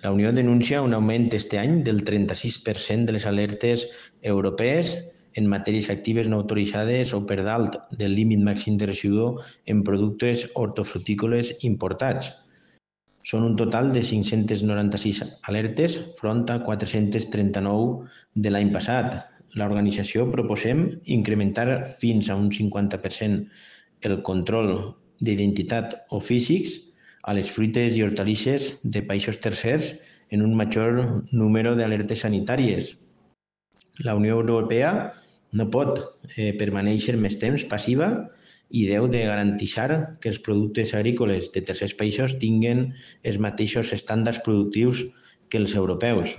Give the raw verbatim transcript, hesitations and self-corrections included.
La Unió denuncia un augment este any del trenta-sis per cent de les alertes europees en matèries actives no autoritzades o per dalt del límit màxim de residu en productes hortofrutícoles importats. Són un total de cinc-centes noranta-sis alertes front a quatre-centes trenta-nou de l'any passat. L'organització proposem incrementar fins a un cinquanta per cent el control d'identitat o físics a les fruites i hortalisses de països tercers en un major número d'alertes sanitàries. La Unió Europea no pot eh, permanèixer més temps passiva i deu de garantir que els productes agrícoles de tercers països tinguen els mateixos estàndards productius que els europeus.